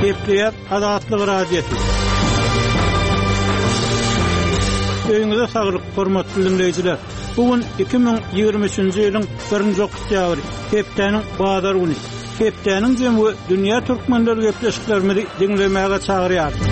Gepleýär Azatlyk Radiosy. Öýüňize saglyk, hormatly diňleýjiler! Bu gün 2023-nji ýylyň birinji oktýabry, hepdäniň bazar güni. Hepdäniň jemi we dünýä türkmenleri gepleşiklerimizi diňlemäge çagyrýarys.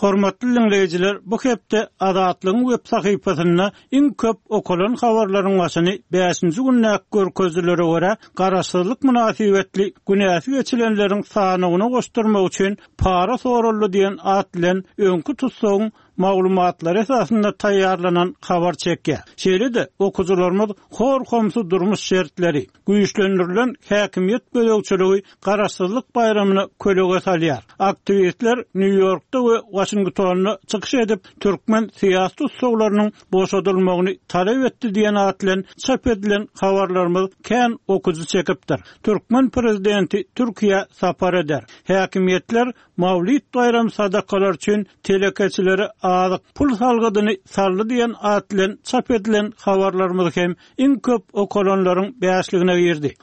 Hormatly diňleýjiler, bu hepde Azatlygyň web sahypasynda Iň köp okalan habarlaryň başyny bäşinji gündäki görkezijilere görä, garaşsyzlyk mynasybetli günäsi geçilenleriň sanawyna goşdurmak üçin para soraldy diýen at bilen öňki tussagyň maglumatlary esasynda taýýarlanan habar çekýär. Şeýle-de, okyjylarymyz hor-homsy durmuş şertleri, Güýçlendirilen häkimiýet gözegçiligi Garaşsyzlyk baýramyna kölege salýar. Aktiwistler Nýu-Ýorkda we Waşingtonda çykyş edip, türkmen syýasy tussaglarynyň boşadylmagyny talap etdi diýen at bilen çap edilen habarlarymyz kän okyjy çekipdir. Türkmen prezidenti Türkiýä sapar eder. Häkimiýetler Mawlid baýram sadakalary üçin telekeçilere azyk pul salgydyny saldy diýen at bilen çap edilen habarlarymyz hem iň köp okalanlaryň bäşligine girdi.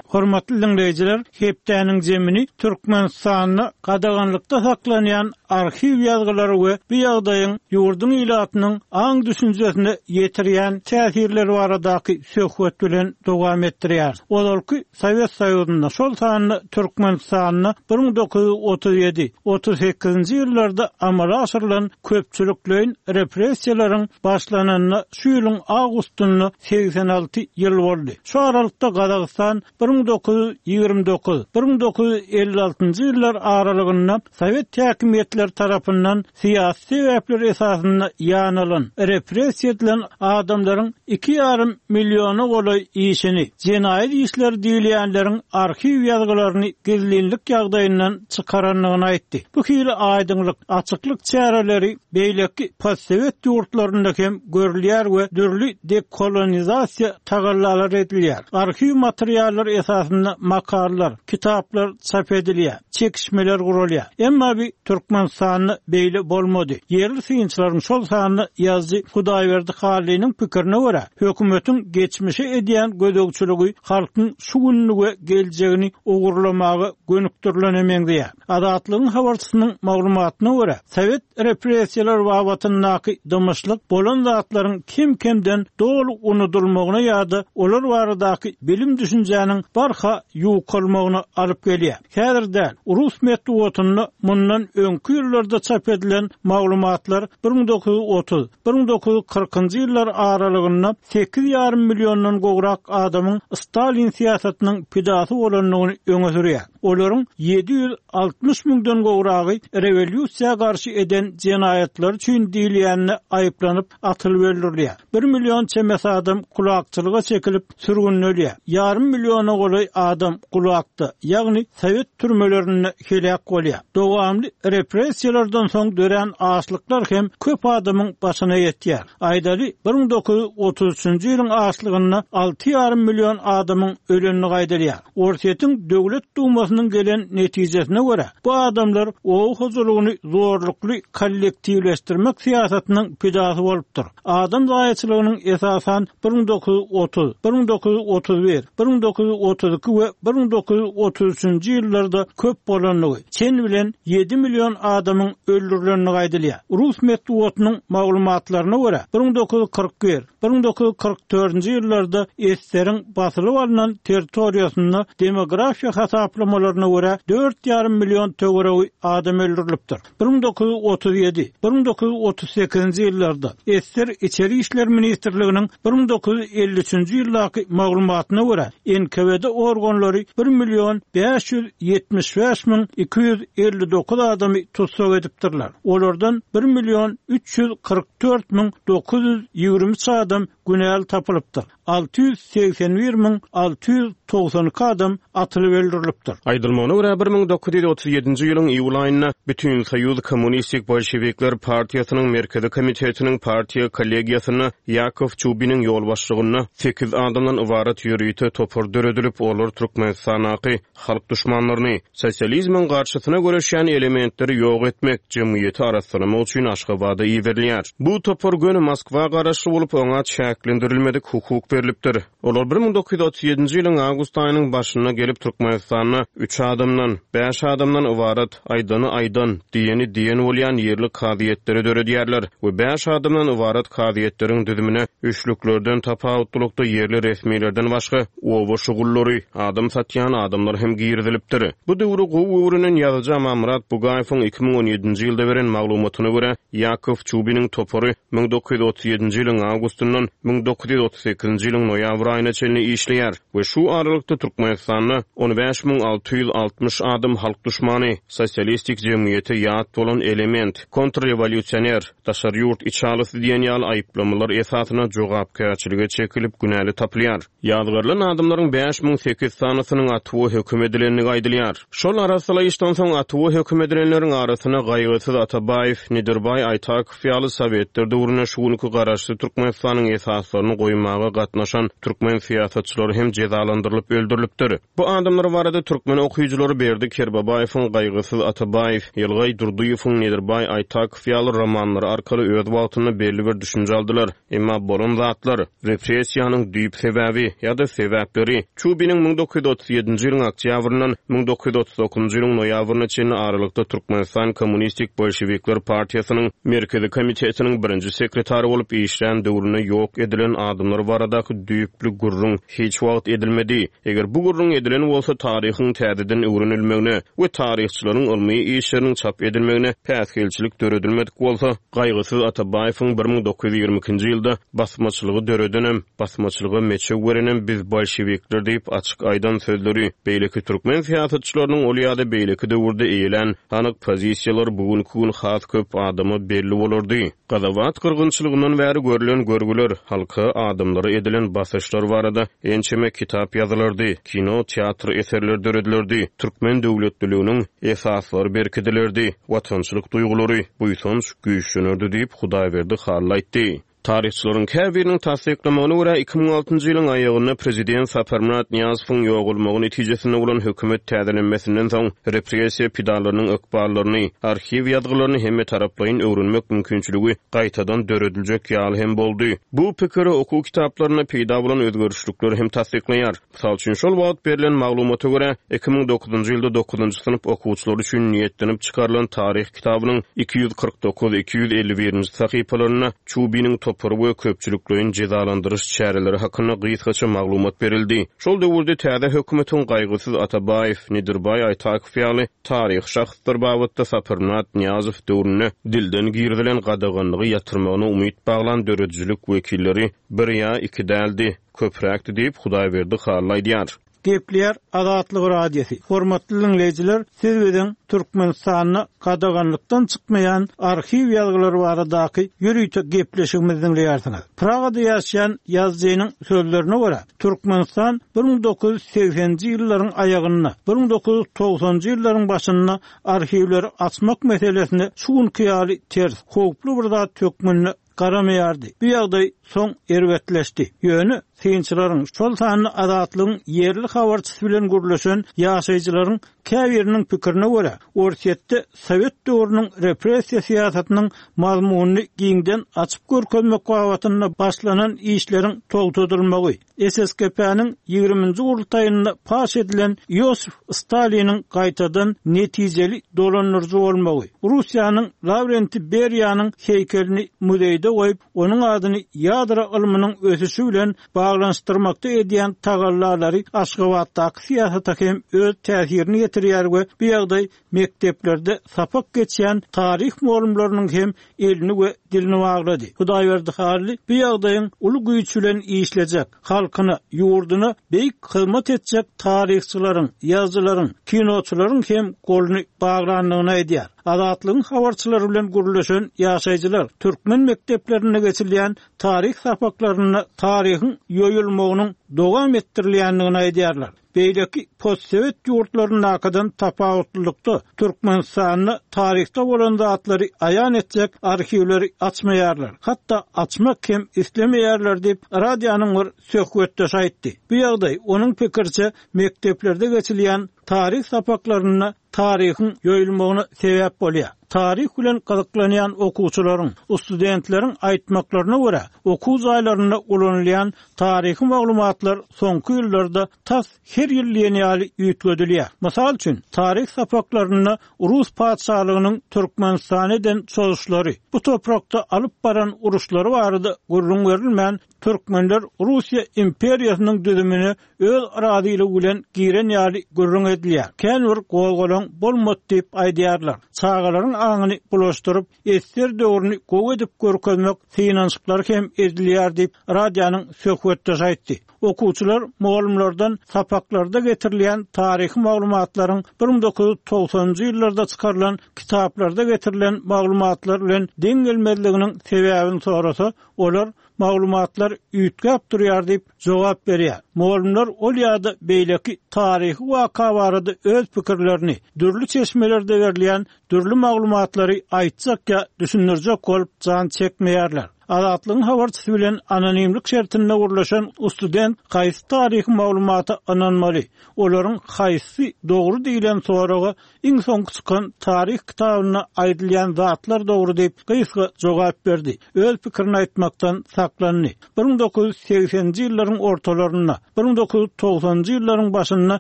Hormatly diňleýjiler, hepdäniň jemini Türkmenistanda gadaganlykda saklanýan arhiw ýazgylary we bu ýagdaýyň ýurduň ilatynyň aň-düşünjesine ýetirýän täsirleri baradaky söhbet bilen dowam etdirýäris. Ozalky Sowet Soýuzynda, şol sanda Türkmenistanda 1937, 38-nji ýyllarda amala aşyrylan köpçülikleýin repressiýalaryň başlananyna şu ýylyň awgustynda 86 ýyl boldy. Şu aralykda Gazagystan 1929, 1956-njy ýyllar aralygynda sowet häkimiýetleri tarapyndan syýasy sebäpler esasynda ýanalan, repressiýa edilen adamlaryň iki ýarym milliona golaý işini, jenaýat işleri diýilýänleriň arhiw ýazgylaryny gizlinlik ýagdaýyndan çykarandygyny aýtdy. Bu hili aýdyňlyk, açyklyk çäreleri beýleki postsowet ýurtlarynda hem görülýär we dürli dekolonizasiýa tagallalary edilýär. Arhiw materiallary esasynda makalalar, kitaplar çap edilýär. Çekişmeler guralýar. Emma bi Türkmenistanda beýle bolmady. Ýerli synçylaryň, şol sanda ýazyjy Hudaýberdi Hallynyň pikirine görä, hökümetiň geçmişe edýän gözegçiligi halkyň şu gününi we geljegini ogurlamaga gönükdirilene meňzeýär. Azatlygyň habarçysynyň maglumatyna görä, sowet repressiýalary babatyndaky dymyşlyk bolan zatlaryň kem-kemden doly unudylmagyna ýa-da olar baradaky bilim-düşünjäniň barha ýukalmagyna alyp gelýär. Häzir däl, rus metbugatynda mundan öňki ýyllarda çap edilen maglumatlar 1930, 1940-njy ýyllar aralygynda sekiz ýarym milliondan gowrak adamyň Stalin syýasatynyň pidasy bolandygyny öňe sürýär. Olaryň 760 müňden gowragy rewolýusiýa garşy eden jenaýatlary üçin diýilýände aýyplanyp, atylyp öldürilýär. Bir million çemesi adam kulakçylyga çekilip, sürgündelýär. Ýarym milliona golaý adam gulakda, ýagny sowet türmelerinde heläk bolýar. Dowamly repressiýalardan soň dörän açlyklar hem köp adamyň başyna ýetýär. Aýdaly, 1933-nji ýylyň açlygynda alty ýarym million adamyň ölendigi aýdylýar. Orsýetiň Döwlet Dumasynyň gelen netijesine görä, bu adamlar oba hojalygyny zorlukly kollektiwleşdirmek syýasatynyň pidasy bolupdyr. Adam zaýaçylygynyň esasan 1930, 1931, 1932 we 1933-nji ýyllarda köp bolandygy, çen bilen ýedi million adamyň öldürilendigi aýdylýar. Rus metbugatynyň maglumatlaryna görä, 1941, 1944-nji ýyllarda ssr-iň basylyp alnan territoriýasynda demografiýa hasaplamalaryna görä dört ýarym million töweregi adam öldürilipdir. 1937, 1938-nji ýyllarda ssr Içeri işler ministrliginiň 1953-nji ýyldaky maglumatyna görä NKWD organlary bir million 575 müň 259 adamy tussag edipdirler. Olardan bir million 344 müň 923 adam günäli tapylypdyr. 681 müň 692 adam atylyp öldürilipdir. Aýdylmagyna görä, 1937-nji ýylyň iýul aýynda Bütinsoýuz Kommunistik bolşewikler partiýasynyň Merkezi komitetiniň partiýa kollegiýasynda Ýakow Çubiniň ýolbaşçylygynda sekiz adamdan ybarat ýörite topar döredilip, olar Türkmenistandaky halk duşmanlaryny, sosializmiň garşysyna göreşýän elementleri ýok etmek, jemgyýeti arassalamak üçin Aşgabada iberilýär. Bu topar göni Moskwa garaşly bolup, oňa çäklendirilmedik hukuk berilýär. berlipdir. Olar 1937-nji ýylyň awgust aýynyň başynda gelip, Türkmenistanda üç adamdan, bäş adamdan ybarat, aýdany aýdan, diýeni diýen bolýan ýerli kazyýetleri döredýärler we bäş adamdan ybarat kazyýetleriň düzümine üçlüklerden tapawutlylykda ýerli resmilerden başga oba şugullary, adam satýan adamlar hem girizilipdir. Bu döwri gowy öwrenen ýazyjy Amanmyrat Bugaýewiň 2017-nji ýylda beren maglumatyna görä, Ýakow Çubiniň topary 1937-nji ýylyň awgustyndan 1938-nji ýylyň noýabr aýyna çenli işleýär we şu aralykda Türkmenistanda 15 660 adam halk duşmany, sosialistik jemgyýete ýat bolan element, kontrrewolýusioner, daşary ýurt içalysy diýen ýaly aýyplamalar esasynda jogapkärçilige çekilip günäli tapylýar. Ýazgarylan adamlaryň 5008 sanysynyň atuwa höküm edilendigi aýdylýar. Şol arassalaýyşdan soň atuwa höküm edilenleriň arasynda Gaýgysyz Atabaýew, Nedirbaý Aýtakow ýaly sowetler döwründe şu günki Garaşsyz Türkmenistanyň esaslaryny goýmaga gatnaşan türkmen syýasatçylary hem jezalandyrylyp öldürilipdir. Bu adamlar barada türkmen okyjylary Berdi Kerbabaýewiň Gaýgysyz Atabaýew, Ýylgaý Durdyýewiň Nedirbaý Aýtakow ýaly romanlary arkaly öz wagtynda belli bir düşünje aldylar. Emma bolan zatlar, repressiýanyň düýp sebäbi ýa-da sebäpleri, Çubiniň 1937-nji ýylyň oktýabryndan 1939-njy ýylyň noýabryna çenli aralykda Türkmenistan Kommunistik bolşewikler partiýasynyň Merkezi komitetiniň birinji sekretary bolup işlän döwründe ýok edilen adamlar baradaky düýpli gürrüň hiç wagt edilmedi. Eger bu gürrüň edilen bolsa, taryhyň täzeden öwrenilmegine we taryhçylaryň ylmy işleriniň çap edilmegine päsgelçilik döredilmedik bolsa, Gaýgysyz Atabaýewiň 1922-nji ýylda Basmaçylygy döredenem, basmaçylyga meçew berenem biz bolşewikler diýip açyk aýdan sözleri, beýleki türkmen syýasatçylarynyň ol ýa-da beýleki döwürde eýelän anyk pozisiýalary bu günki gün has köp adama belli bolardy. Gazawat gyrgynçylygyndan bäri görlen görgüler, halka, adamlara edilen basyşlar barada ençeme kitap ýazylardy, kino, teatr eserleri döredilerdi, türkmen döwletliliginiň esaslary berkidilerdi, watançylyk duýgulary, buýsanç güýçlenerdi diýip, Hudaýberdi Hally aýtdy. Taryhçylaryň käbiriniň tassyklamagyna görä, 2006-njy ýylyň aýagynda prezident Saparmyrat Nyýazowyň ýogalmagy netijesinde bolan hökümet täzelenmesinden soň repressiýa pidalarynyň ykballaryny, arhiw ýazgylaryny hemmetaraplaýyn öwrenmek mümkinçiligi gaýtadan dörediljek ýaly hem boldy. Bu pikiri okuw kitaplarynda peýda bolan özgerişlikler hem tassyklaýar. Mysal üçin, şol wagt berlen maglumata görä, 2009-njy ýylda dokuzynjy synp okuwçylary üçin niýetlenip çykarylan taryh kitabynyň 249, 251-nji sahypalarynda Çubiniň topary we köpçülikleýin jezalandyryş çäreleri hakynda gysgaça maglumat berildi. Şol döwürde täze hökümetiň Gaýgysyz Atabaýew, Nedirbaý Aýtakow ýaly taryhy şahslar babatda Saparmyrat Nyýazow döwründe dilden girizilen gadaganlygy ýatyrmagyna umyt baglan döredijilik wekilleri bir ýa iki däldi. Köpräkdi diýip, Hudaýberdi Hally aýdýar. Gepleýär Azatlyk Radiosy. Hormatly diňleýjiler, siz biziň Türkmenistanda gadaganlykdan çykmaýan arhiw ýazgylary baradaky ýörite gepleşigimizi diňleýärsiňiz. Pragada ýaşaýan ýazyjynyň sözlerine görä, Türkmenistan 1980-nji ýyllaryň aýagynda, 1990-njy ýyllaryň başynda arhiwleri açmak meselesine şu günki ýaly ters, howply bir zat hökmünde garamaýardy. Bu ýagdaý soň erbetleşdi. Ýöne synçylaryň, şol sanda Azatlygyň ýerli habarçysy bilen gürleşen ýaşaýjylaryň käbiriniň pikirine görä, Orsýetde sowet döwrüniň repressiýa syýasatynyň mazmunyny giňden açyp görkezmek babatynda başlanan işleriň togtadylmagy, SSKP-niň ýigriminji gurultaýynda paş edilen Iosif Staliniň gaýtadan netijeli dolandyryjy bolmagy, Russiýanyň Lawrentiý Beriýanyň heýkelini muzeýde goýup, onuň adyny ýadro ylmynyň ösüşi bilen baglanyşdyrmakda edýän tagallalary Aşgabatdaky syýasata hem öz täsirini ýetirýär we bu ýagdaý mekdeplerde sapak geçýän taryh mugallymlarynyň hem elini we dilini baglady. Hudaýberdi Hally bu ýagdaýyň uly güýç bilen işlejek, halkyna, ýurduna beýik hyzmat etjek taryhçylaryň, ýazyjylaryň, kinoçylaryň hem goluny baglandygyny aýdýar. Azatlygyň habarçylary bilen gürleşen ýaşaýjylar türkmen mekdeplerinde geçilýän taryh sapaklarynda taryhyň ýoýulmagynyň dowam etdirilýändigini aýdýarlar. Beýleki postsowet ýurtlaryndakydan tapawutlylykda, Türkmenistanda taryhda bolan zatlary aýan etjek arhiwleri açmaýarlar, hatda açmak hem islemeýärler diýip, radionyň bir söhbetdeşi aýtdy. Bu ýagdaý, onuň pikiriçe, mekdeplerde geçilýän taryh sapaklarynda taryhyň ýoýulmagyna sebäp bolýar. Taryh bilen gyzyklanýan okuwçylaryň, studentleriň aýtmaklaryna görä, okuw jaýlarynda ulanylýan taryhy maglumatlar soňky ýyllarda tas her ýyl diýen ýaly üýtgedilýär. Mysal üçin, taryh sapaklarynda rus patyşalygynyň Türkmenistana eden çozuşlary, bu toprakda alyp baran uruşlary barada gürrüň berilmän, türkmenler Russiýa imperiýasynyň düzümine öz razylygy bilen giren ýaly gürrüň edilýär. Kän bir gozgalaň bolmady diýip aýdýarlar. Çagalaryň aňyny bulaşdyryp, ssr döwrüni gowy edip görkezmek synanyşyklary hem edilýär diýip, radionyň söhbetdeşi aýtdy. Okuwçylar mugallymlardan sapaklarda getirilýän taryhy maglumatlaryň 1990-njy ýyllarda çykarylan kitaplarda getirilen maglumatlar bilen deň gelmezliginiň sebäbini sorasa, olar maglumatlar üýtgäp durýar diýip jogap berýär. Mugallymlar ol ýa-da beýleki taryhy waka barada öz pikirlerini, dürli çeşmelerde berilýän dürli maglumatlary aýtjak ýa düşündirjek bolup jan çekmeýärler. Azatlygyň habarçysy bilen anonimlik şertinde gürleşen student haýsy taryhy maglumata ynanmaly, olaryň haýsysy dogry diýlen soraga Iň soňky çykan taryh kitabynda aýdylýan zatlar dogry diýip, gysga jogap berdi. Öz pikirini aýtmakdan saklandy. 1980-nji ýyllaryň ortalarynda, 1990-njy ýyllaryň başynda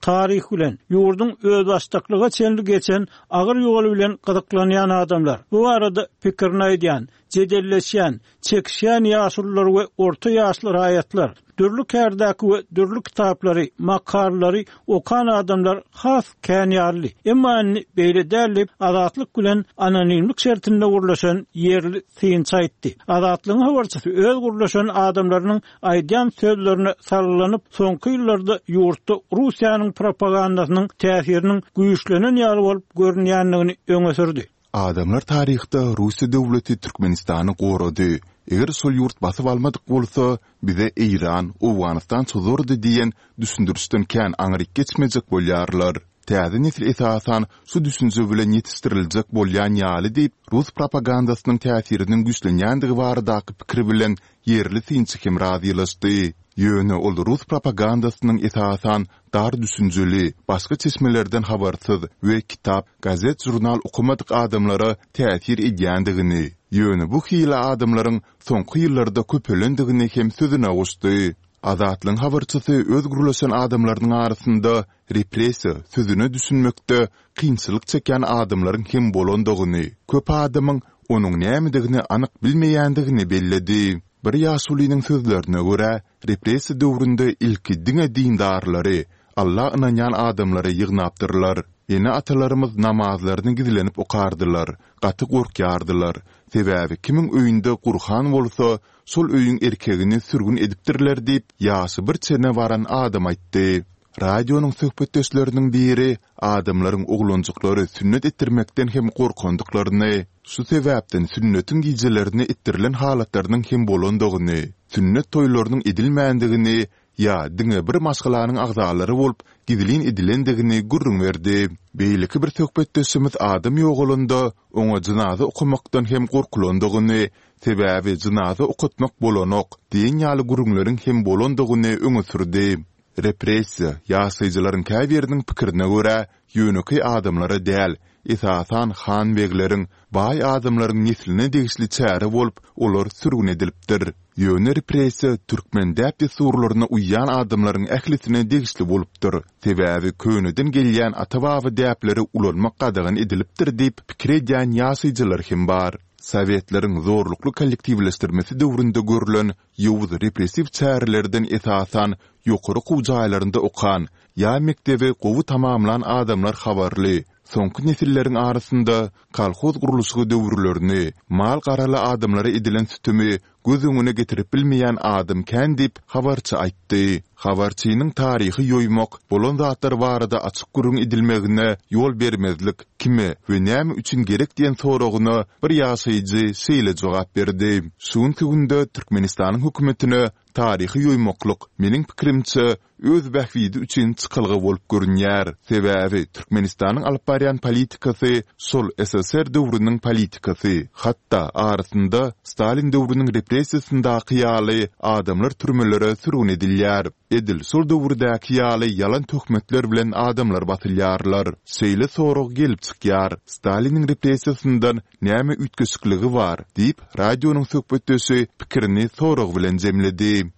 taryh bilen, ýurduň özbaşdaklyga çenli geçen agyr ýoly bilen gyzyklanýan adamlar, bu barada pikirini aýdýan, jedelleşýän, çekişýän ýaşulular we orta ýaşly raýatlar, dürli kärdäki we dürli kitaplary, makalalary okan adamlar has kän ýalydy. Emma indi beýle däl diýip, Azatlyk bilen anonimlik şertinde gürleşen ýerli synçy aýtdy. Azatlygyň habarçysy öz gürleşen adamlarynyň aýdýan sözlerine salgylanyp, soňky ýyllarda ýurtda Russiýanyň propagandasynyň täsiriniň güýçlenen ýaly bolup görünýändigini öňe sürdi. Adamlar taryhda Russiýa döwleti Türkmenistany gorady, eger şol ýurt basyp almadyk bolsa, bize Eýran, Owganystan çozardy diýen düşündirişden kän aňryk geçmejek bolýarlar. Täze nesil esasan şu düşünje bilen ýetişdiriljek bolýan ýaly diýip, rus propagandasynyň täsiriniň güýçlenýändigi baradaky pikir bilen ýerli synçy hem razylaşdy. Ýöne ol rus propagandasynyň esasan dar düşünjeli, başga çeşmelerden habarsyz we kitap, gazet-žurnal okamadyk adamlara täsir edýändigini, ýöne bu hili adamlaryň soňky ýyllarda köpelendigini hem sözüne goşdy. Azatlygyň habarçysy öz gürleşen adamlarynyň arasynda repressiýa sözüne düşünmekde kynçylyk çekýän adamlaryň hem bolandygyny, köp adamyň onuň nämedigini anyk bilmeýändigini belledi. Bir ýaşulynyň sözlerine görä, repressiýa döwründe ilki diňe dindarlary, Alla ynanýan adamlary ýygnapdyrlar. Ene-atalarymyz namazlaryny gizlenip okardylar, gaty gorkýardylar. Sebäbi kimiň öýünde Gurhan bolsa, şol öýüň erkegini sürgün edipdirler diýip, ýaşy bir çene baran adam aýtdy. Radionyň söhbetdeşleriniň biri adamlaryň oglanjyklary sünnet etdirmekden hem gorkandyklaryny, şu sebäpden sünnetiň gijelerine etdirilen halatlarynyň hem bolandygyny, sünnet toýlarynyň edilmändigini ýa diňe bir maşgalanyň agzalary bolup gizlin edilendigini gürrüň berdi. Beýleki bir söhbetdeşimiz adam ýogalanda oňa jynaza okamakdan hem gorkulandygyny, sebäbi jynaza okatmak bolanok diýen ýaly gürrüňleriň hem bolandygyny öňe sürdi. Repressiýa, ýaşaýjylaryň käbiriniň pikirine görä, ýönekeý adamlara däl, esasan han-begleriň, baý adamlaryň nesline degişli çäre bolup, olar sürgün edilipdir. Ýöne repressiýa türkmen däp-dessurlaryna uýýan adamlaryň ählisine degişli bolupdyr, sebäbi köneden gelýän ata-baba däpleri ulanmak gadagan edilipdir diýip pikir edýän ýaşaýjylar hem bar. Sowetleriň zorlukly kollektiwleşdirmesi döwründe görlen ýowuz repressiw çärelerden esasan ýokary okuw jaýlarynda okan ýa mekdebi gowy tamamlan adamlar habarly. Soňky nesilleriň arasynda kolhoz gurluşygy döwürlerini, mal-garaly adamlara edilen sütemi göz öňüne getirip bilmeýän adam kän diýip, habarçy aýtdy. Habarçynyň taryhy ýoýmak, bolan zatlar barada açyk gürrüň edilmegine ýol bermezlik kime we näme üçin gerek diýen soragyna bir ýaşaýjy şeýle jogap berdi, Şu günki günde Türkmenistanyň hökümetine taryhy ýoýmaklyk, meniň pikirimçe, öz bähbidi üçin çykalga bolup görünýär. Sebäbi Türkmenistanyň alyp barýan politikasy şol ssr döwrüniň politikasy, hatda arasynda Stalin döwrüniň repressiýasyndaky ýaly adamlar türmelere sürgün edilýär. Edil şol döwürdäki ýaly ýalan töhmetler bilen adamlar basylýarlar. Şeýle sorag gelip çykýar, Staliniň repressiýasyndan näme üýtgeşikligi bar? diýip, radionyň söhbetdeşi pikirini sorag bilen jemledi.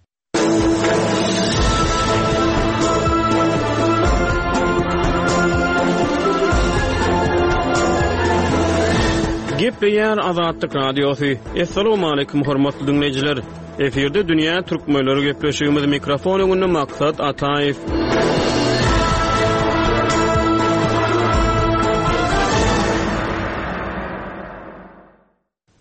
Gepleýär Azatlyk Radiosy. Assalamualaikum hormatly diňleýjiler. Efirde dünýä türkmenleri gepleşigimiz mikrofon öňünde Maksat Ataýew.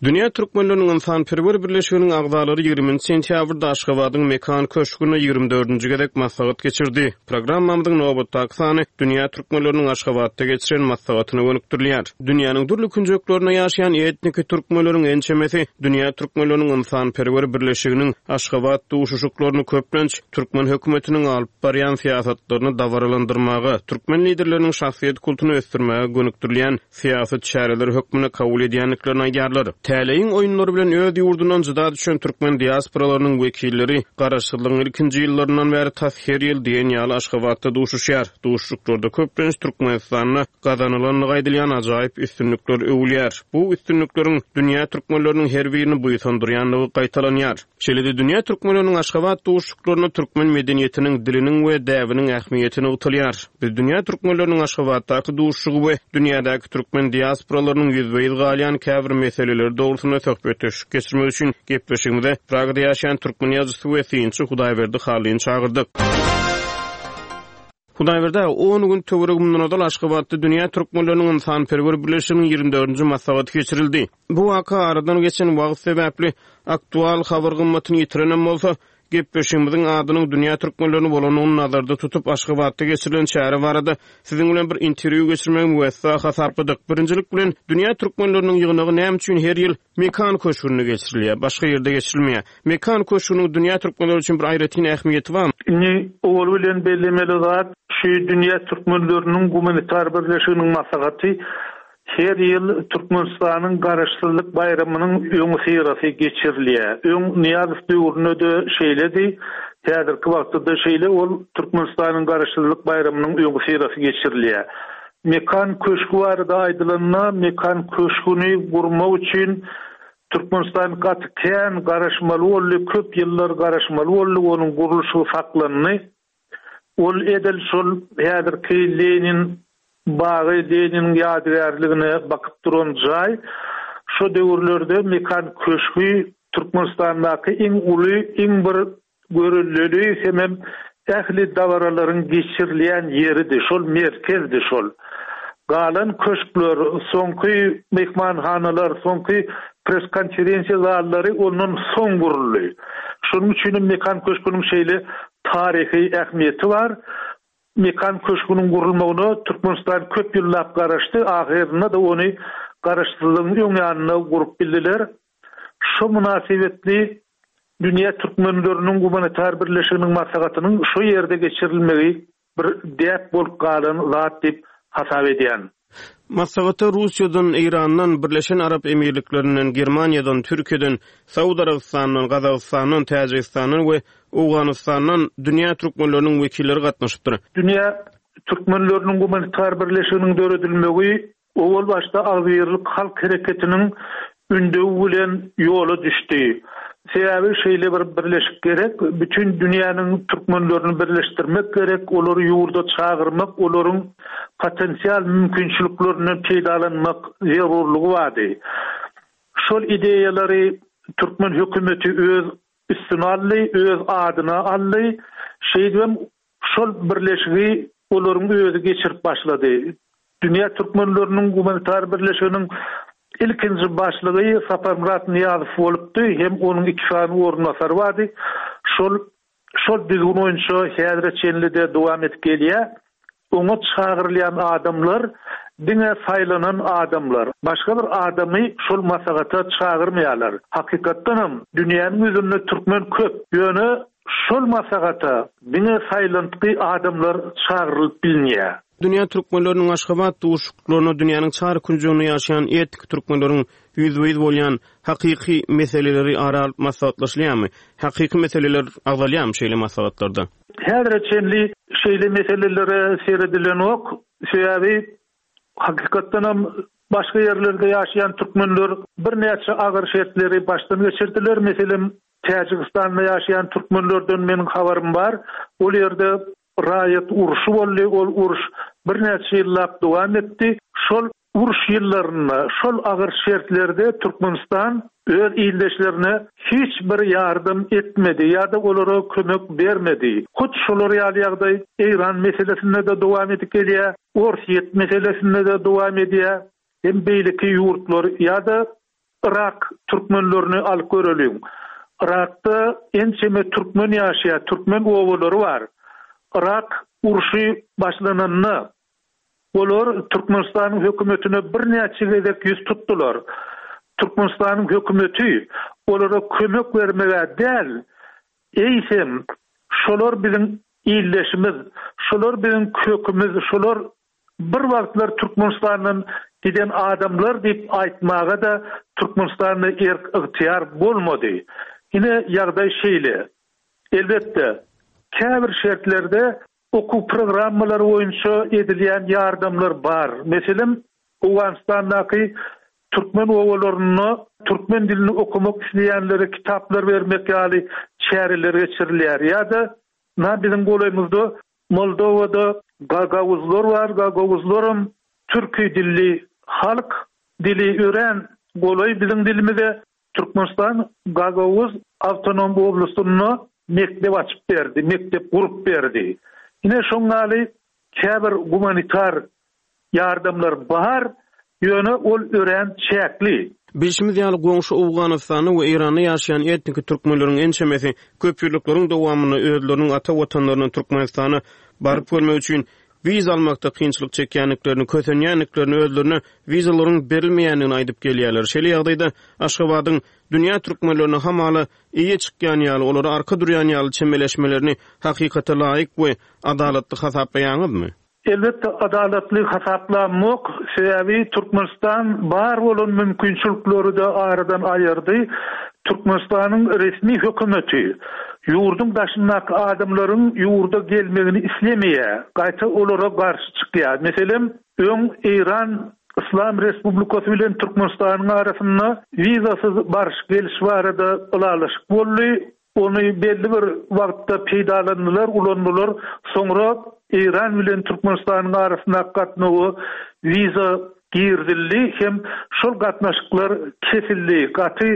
Dünýä türkmenleriniň ynsanperwer birleşiginiň agzalary ýigriminji sentýabrda Aşgabadyň Mekan köşgünde 24-nji gezek maslahat geçirdi. Programmamyzyň nobatdaky sany dünýä türkmenleriniň Aşgabatda geçiren maslahatyna gönükdirilýär. Dünýäniň dürli künjeklerinde ýaşaýan etniki türkmenleriň ençemesi Dünýä türkmenleriniň ynsanperwer birleşiginiň Aşgabat duşuşyklaryny köplenç türkmen hökümetiniň alyp barýan syýasatlaryny dabaralandyrmaga, türkmen liderleriniň şahsyýet kultuny ösdürmäge gönükdirilýän syýasy çäreler hökmünde kabul edýändiklerini aýdýarlar. Täleýiň oýunlary bilen öz ýurdundan jyda düşen türkmen diasporalarynyň wekilleri garaşsyzlygyň ilkinji ýyllaryndan bäri tas her ýyl diýen ýaly Aşgabatda duşuşýar. Duşuşyklarda köplenç Türkmenistanda gazanylandygy aýdylýan ajaýyp üstünlikler öwülýär. Bu üstünlikleriň dünýä türkmenleriniň her birini buýsandyrýandygy gaýtalanýar. Şeýle-de dünýä türkmenleriniň Aşgabat duşuşyklarynda türkmen medeniýetiniň, diliniň we däbiniň ähmiýeti nygtalýar. Biz dünýä türkmenleriniň Aşgabatdaky duşuşygy we dünýädäki türkmen diasporalarynyň ýüzbe-ýüz galýan käbir meseleleri dogrusynda söhbetdeşlik geçirmek üçin gepleşigimize Pragada ýaşaýan türkmen ýazyjysy we synçy Hudaýberdi Hallyny çagyrdyk. Hudaýberdi aga, on gün töweregi mundan ozal Aşgabatda Dünýä türkmenleriniň ynsanperwer birleşiginiň ýigrimi dördünji maslahaty geçirildi. Bu waka aradan geçen wagt sebäpli aktual habar gymmatyny ýitirenem bolsa, gepleşigimiziň adynyň Dünýä türkmenlerini bolandygyny nazarda tutup, Aşgabatda geçirilen çäre barada siziň bilen bir interwýu geçirmegi müwessa hasapladyk. Birinjilik bilen, Dünýä türkmenleriniň ýygnagy näme üçin her ýyl Mekan köşgünde geçirilýär, başga ýerde geçirilmeýär. Mekan köşgüniň dünýä türkmenleri üçin bir aýratyn ähmiýeti barmy? Indi owaly bilen bellemeli zat, şu Dünýä türkmenleriniň gumanitar birleşiginiň maslahaty her ýyl Türkmenistanyň Garaşsyzlyk baýramynyň öňüsyrasy geçirilýär. Öň Nyýazow döwründe-de şeýledi, häzirki wagtda-da şeýle, ol Türkmenistanyň Garaşsyzlyk baýramynyň öňüsyrasy geçirilýär. Mekan köşgi barada aýdylanda, Mekan köşgüni gurmak üçin Türkmenistan gaty kän garaşmaly boldy, köp ýyllar garaşmaly boldy, onuň gurluşygy saklandy. Ol edil şol häzirki Lenin bagy, Leniniň ýadygärligine bakyp duran jaý. Şo döwürlerde Mekan köşgi Türkmenistandaky iň uly, iň bir Görelleli hemem ähli dabaralaryň geçirilýän ýeridi, şol merkezdi şol. Galan köşkler, soňky myhmanhanalar, soňky press-konferensiýa zallary ondan soň guruldy. Şonuň üçinem Mekan köşgüniň şeýle taryhy ähmiýeti bar. Mekan köşgüniň gurulmagyna Türkmenistan köp ýyllap garaşdy, ahyrynda-da ony Garaşsyzlygyň öň ýanynda gurup bildiler. Şo mynasybetli Dünýä türkmenleriniň gumanitar birleşiginiň maslahatynyň şo ýerde geçirilmegi bir däp bolup galan zat diýip hasap edýän. Maslahata Russiýadan, Eýrandan, Birleşen Arap Emirliklerinden, Germaniýadan, Türkiýeden, Saud Arabystanyndan, Gazagystandan, Täjigistandan we Owganystandan dünýä türkmenleriniň wekilleri gatnaşypdyr. Dünýä türkmenleriniň gumanitar birleşiginiň döredilmegi Owal başda Agzybirlik halk hereketiniň ündewi bilen ýola düşdi. Sebäbi şeýle bir birleşik gerek, bütin dünýäniň türkmenlerini birleşdirmek gerek, olary ýurda çagyrmak, olaryň potensial mümkinçiliklerinden peýdalanmak zerurlygy bardy. Şol ideýalary türkmen hökümeti öz üstüne aldy, öz adyna aldy. Şeýdibem Şol birleşigi olaryň özi geçirip başlady. Dünýä türkmenleriniň gumanitar birleşiginiň ilkinji başlygy Saparmyrat Nyýazow bolupdy hem onuň iki sany orunbasary bardy. Şol şol düzgün boýunça häzire çenli-de dowam edip gelýär. Oňa çagyrylýan adamlar diňe saýlanan adamlar. Başga bir adamy şol maslahata çagyrmaýarlar. Hakykatdanam dünýäniň ýüzünde türkmen köp. Ýöne Şol maslahata diňe saýlantgy adamlar çagyrylyp bilinýär. Dünýä türkmenleriniň Aşgabat duşuşyklaryna dünýäniň çar künjeginde ýaşaýan etniki türkmenleriň ýüzbe-ýüz bolýan hakyky meseleleri ara alyp maslahatlaşylýarmy? Hakyky meseleler agzalýarmy şeýle maslahatlarda? Häzire çenli şeýle meselelere seredilenok. Sebäbi hakykatdanam başga ýerlerde ýaşaýan türkmenler birnäçe agyr şertleri başdan geçirdiler. Meselem, Täjigistanda ýaşaýan türkmenlerden meniň habarym bar. Ol ýerde raýat urşy boldy, ol uruş birnäçe ýyllap dowam etdi. Şol uruş ýyllarynda, şol agyr şertlerde Türkmenistan öz ildeşlerine hiç bir ýardam etmedi ýa-da olara kömek bermedi. Hut şolar ýaly ýagdaý Eýran meselesinde-de dowam edip gelýär, Orsýet meselesinde-de dowam edýär hem beýleki ýurtlar ýa-da Yrak türkmenlerini alyp göreliň. Yrakda ençeme türkmen ýaşaýar, türkmen obalary bar. Yrak urşy başlananda, olar Türkmenistanyň hökümetine birnäçe gezek ýüz tutdular. Türkmenistanyň hökümeti olara kömek bermeg-ä däl, eýsem, şolar biziň ildeşimiz, şolar biziň kökümiz, şolar Bir wagtlar Türkmenistandan giden adamlar diýip aýtmaga-da Türkmenistanda erk-ygtyýar bolmady. Ine, ýagdaý şeýle. Elbetde, käbir şertlerde okuw programmalary boýunça edilýän ýardamlar bar. Meselem, Owganystandaky türkmen obalarynda türkmen dilini okamak isleýänlere kitaplar bermek ýaly çäreler geçirilýär. Ýa-da, ynha, biziň golaýymyzda Moldowada gagauzlar bar, gagauzlaram türki dilli halk, dili örän golaý biziň dilimize. Türkmenistan Gagauz awtonom oblastynda mekdep açyp berdi, mekdep gurup berdi. Ine şoň ýaly käbir gumanitar Ýardamlar bar, ýöne ol örän çäkli. Bilşimiz ýaly, goňşy Owganystanda we Eýranda ýaşaýan etniki türkmenleriň ençemesi köpýyllyklaryň dowamynda özleriniň ata watanlaryna Türkmenistana baryp görmek üçin wiza almakda kynçylyk çekýändiklerini, kösenýändiklerini, özlerine wizalaryň berilmeýändigini aýdyp gelýärler. Şeýle ýagdaýda Aşgabadyň dünýä türkmenlerine hamala eýe çykýan ýaly, olara arka durýan ýaly çemeleşmelerini hakykata laýyk we adalatly hasaplaýaňyzmy? Elbetde adalatly hasaplamok, sebäbi Türkmenistan bar bolan mümkinçilikleri-de aradan aýyrdy. Türkmenistanyň resmi hökümeti ýurduň daşyndaky adamlaryň ýurda gelmegini islemeýär, gaýta olara garşy çykýar. Meselem, öň Eýran Yslam Respublikasy bilen Türkmenistanyň arasynda wizasyz baryş-geliş barada ylalaşyk boldy. Ony belli bir wagtda peýdalandylar, ulandylar. Soňra Eýran bilen Türkmenistanyň arasyndaky gatnawa wiza girizildi hem şol gatnaşyklar kesildi. Gaty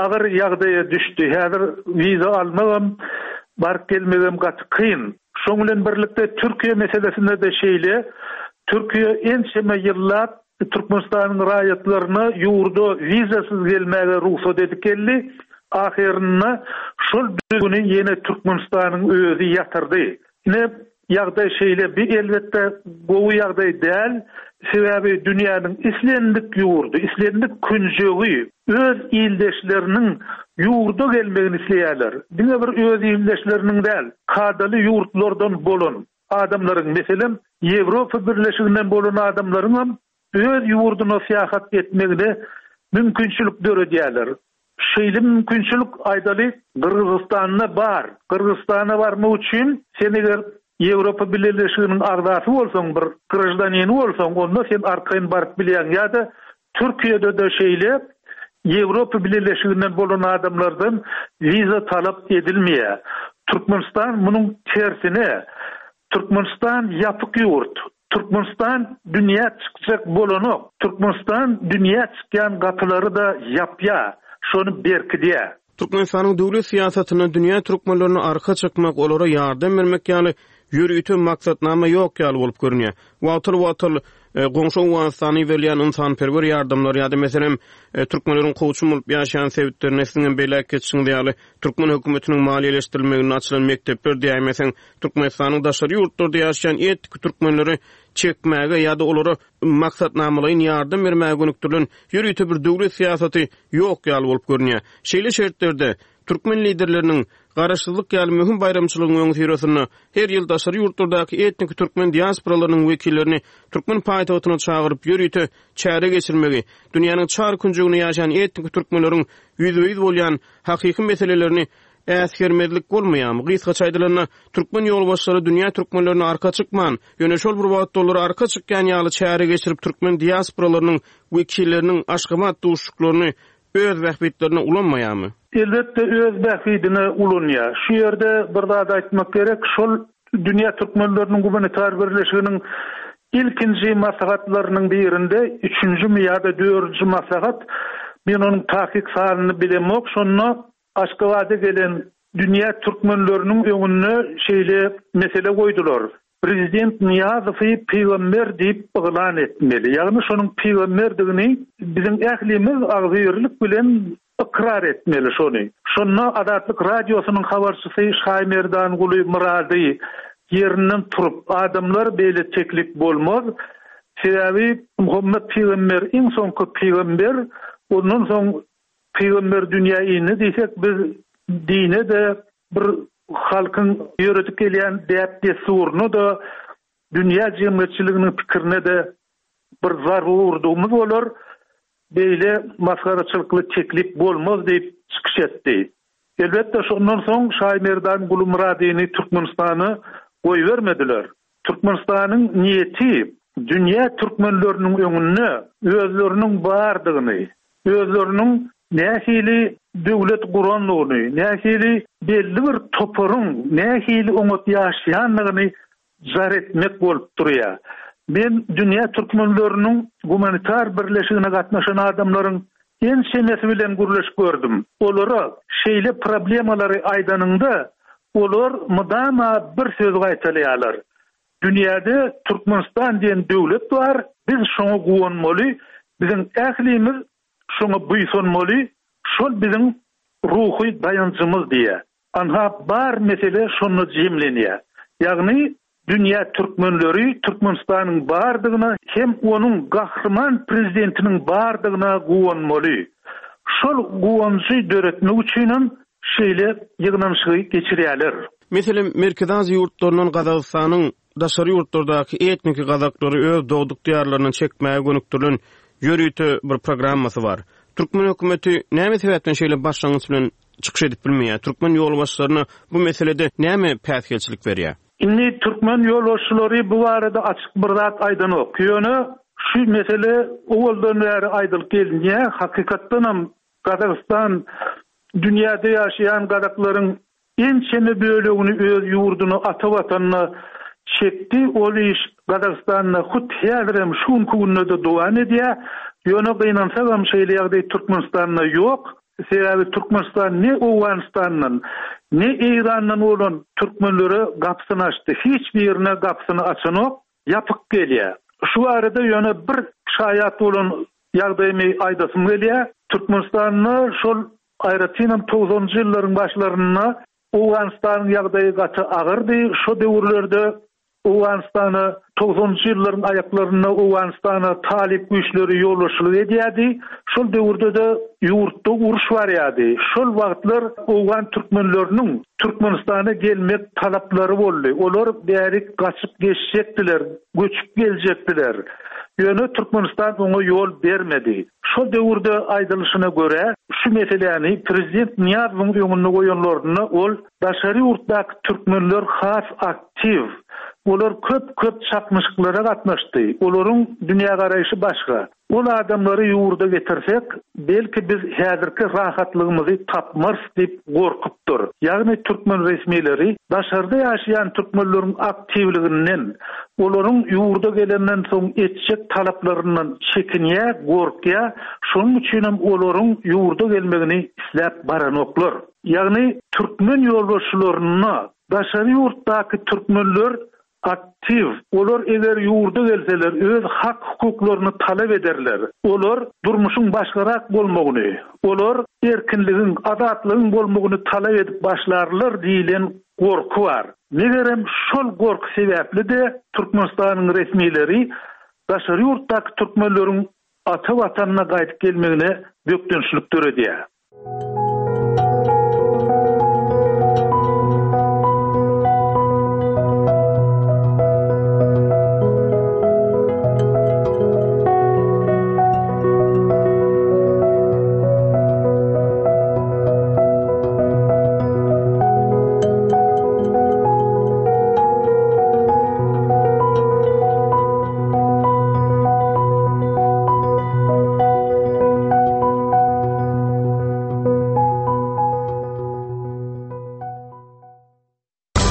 agyr ýagdaýa düşdi. Häzir wiza almagam, baryp gelmegem gaty kyn. Şoň bilen birlikde Türkiýe meselesinde-de şeýle. Türkiýe ençeme ýyllap Türkmenistanyň raýatlaryna ýurda wizasyz gelmäge rugsat edip geldi. Ahyrynda şol düzgüni ýene Türkmenistanyň özi ýatyrdy. Ine, ýagdaý şeýle. Bi elbetde gowy ýagdaý däl. Sebäbi dünýäniň islendik ýurdy, islendik künjegi öz ildeşleriniň ýurda gelmegini isleýärler. Diňe bir öz ildeşleriniň däl, kadaly ýurtlardan bolan adamlaryň, meselem, Ýewropa Birleşiginden bolan adamlaryňam öz ýurduna syýahat etmegine mümkinçilik döredýärler. Şeýle mümkinçilik, aýdaly, Gyrgyzystanda bar. Gyrgyzystana barmak üçin sen eger Ýewropa Bileleşiginiň agzasy bolsaň, bir graždanini bolsaň, onda sen arkaýyn baryp bilýäň. Ýa-da Türkiýede-de şeýle Ýewropa Bileleşiginden bolan adamlardan wiza talap edilmeýär. Türkmenistan munuň tersine, Türkmenistan ýapyk ýurt. Türkmenistan dünýä çykjak bolanok. Türkmenistan dünýä çykýan gapylary-da ýapýar, şony berkidýär. Türkmenistanyň döwlet syýasatynda dünýä türkmenlerine arka çykmak, olara ýardam bermek ýaly ýörite maksatnama ýok ýaly bolup görünýär. Wagtal-wagtal goňşy Owganystana iberilýän ynsanperwer ýardamlar ýa-da, meselem, türkmenleriň kowçum bolup ýaşaýan sebitlerinde siziň hem belläp geçişiňiz ýaly, türkmen hökümetiniň maliýeleşdirilmeginde açylan mekdepler diýäýmeseň, Türkmenistanyň daşary ýurtlarda ýaşaýan etniki türkmenleri çekmäge ýa-da olara maksatnamalaýyn ýardam bermäge gönükdirilen ýörite bir döwlet syýasaty ýok ýaly bolup görünýär. Şeýle şertlerde türkmen liderleriniň. Garaşsyzlyk ýaly möhüm baýramçylygyň öňüsyrasynda her ýyl daşary ýurtlardaky etniki türkmen diasporalarynyň wekillerini türkmen paýtagtyna çagyryp ýörite çäre geçirmegi, dünýäniň çar künjeginde ýaşaýan etniki türkmenleriň ýüzbe-ýüz bolýan hakyky meselelerini äsgermezlik bolmaýarmy? Gysgaça aýdylanda, türkmen ýolbaşçylary dünýä türkmenlerine arka çykman, ýöne şol bir wagtda olara arka çykýan ýaly çäre geçirip türkmen diasporalarynyň wekilleriniň Aşgabat duşuşyklaryny öz bähbitlerine ulanmaýarmy? Elbetde öz bähbidine ulanýar. Şu ýerde bir zady aýtmak gerek, şol Dünýä türkmenleriniň gumanitar birleşiginiň ilkinji maslahatlarynyň birinde, üçünjimi ýa-da dördünji maslahat, men onuň takyk sanyny bilemok, şonda Aşgabada gelen dünýä türkmenleriniň öňünde şeýle mesele goýdular, Prezident Nyýazowy pygamber diýip yglan etmeli. Ýagny şonuň pygamberdigini biziň ählimiz agzybirlik bilen ykrar etmeli şony. Şonda Azatlyk Radiosynyň habarçysy Şaýmerdanguly Myrady ýerinden turup, Adamlar beýle teklip bolmaz. Sebäbi Muhammet pygamber iň soňky pygamber, ondan soň Pygamber dünýä indi diýsek biz dine-de bir halkyň ýöredip gelýän däp-dessuryna-da dünýä jemgyýetçiliginiň pikirine-de bir zarba urdugymyz bolar, beýle masgaraçylykly teklip bolmaz diýip çykyş etdi. Elbetde şondan soň Şaýmerdan Gulumyradyny Türkmenistana goýbermediler. Türkmenistanyň niýeti dünýä türkmenleriniň öňünde özleriniň bardygyny, özleriniň nähili döwlet gurandygyny, nähili belli bir toparyň nähili oňat ýaşaýandygyny jar etmek bolup durýar. Men dünýä türkmenleriniň gumanitar birleşigine gatnaşan adamlaryň ençemesi bilen gürleşip gördüm. Olara şeýle problemalary aýdanyňda, olar mydama bir sözi gaýtalaýarlar, Dünýäde Türkmenistan diýen döwlet bar, biz şoňa guwanmaly, biziň ählimiz şoňa buýsanmaly, şol biziň ruhy daýanjymyz diýýär. Anha bar mesele şonda jemlenýär. Ýagny dünýä türkmenleri Türkmenistanyň bardygyna hem onuň gahryman prezidentiniň bardygyna guwanmaly. Şol guwanjy döretmek üçinem şeýle ýygnanyşygy geçirýärler. Meselem, Merkezi Aziýa ýurtlaryndan Gazagystanyň daşary ýurtlardaky etniki gazaklary öz dogduk diýarlaryna çekmäge gönükdirilen ýörite bir programmasy bar. Türkmen hökümeti näme sebäpden şeýle başlangyç bilen çykyş edip bilmeýär? Türkmen ýolbaşçylaryna bu meselede näme päsgelçilik berýär? Indi türkmen ýolbaşçylary bu barada açyk bir zat aýdanok. Ýöne şu mesele owaldan bäri aýdylyp gelinýär. Hakykatdanam Gazagystan dünýäde ýaşaýan gazaklaryň ençeme bölegini öz ýurduna, ata watanyna çekdi. Ol iş Gazagystanda hut häzirem, şu günki günde-de dowam edýär. Ýöne gynansagam şeýle ýagdaý Türkmenistanda ýok. Sebäbi Türkmenistan ne Owganystandan, ne Eýrandan bolan türkmenlere gapysyny açdy. Hiç birine gapysyny açanok, ýapyk gelýär. Şu barada ýöne bir şaýat bolan ýagdaýymy aýdasym gelýär. Türkmenistanda şol aýratynam togsanynjy ýyllaryň başlarynda Owganystanyň ýagdaýy gaty agyrdy. Şo döwürlerde Owganystana togsanynjy ýyllaryň aýaklarynda Owganystana talyp güýçleri ýolbaşçylyk edýärdi. Şol döwürde-de ýurtda uruş barýardy. Şol wagtlar owgan türkmenleriniň Türkmenistana gelmek talaplary boldy. Olar bärik gaçyp geçjekdiler, göçüp geljekdiler. Ýöne Türkmenistan oňa ýol bermedi. Şol döwürde aýdylyşyna görä, şu meseläni prezident Nyýazowyň öňünde goýanlarynda ol daşary ýurtdaky türkmenler has aktiw, olar köp-köp çaknyşyklara gatnaşdy, olaryň dünýägaraýşy başga. Ol adamlary ýurda getirsek, belki biz häzirki rahatlygymyzy tapmarys diýip gorkupdyr. Ýagny türkmen resmileri daşarda ýaşaýan türkmenleriň aktiwliginden, olaryň ýurda gelenden soň etjek talaplaryndan çekinýär, gorkýar, şonuň üçinem olaryň ýurda gelmegini isläp baranoklar. Ýagny türkmen ýolbaşçylaryna daşary ýurtdaky türkmenler Aktiw. Olar eger ýurda gelseler öz hak-hukuklaryny talap ederler. Olar durmuşyň başgarak bolmagyny, olar erkinligiň, azatlygyň bolmagyny talap edip başlarlar diýlen gorky bar. Megerem şol gorky sebäpli-de Türkmenistanyň resmileri daşary ýurtdaky türkmenleriň ata Watanyna gaýdyp gelmegine bökdençlik döredýär.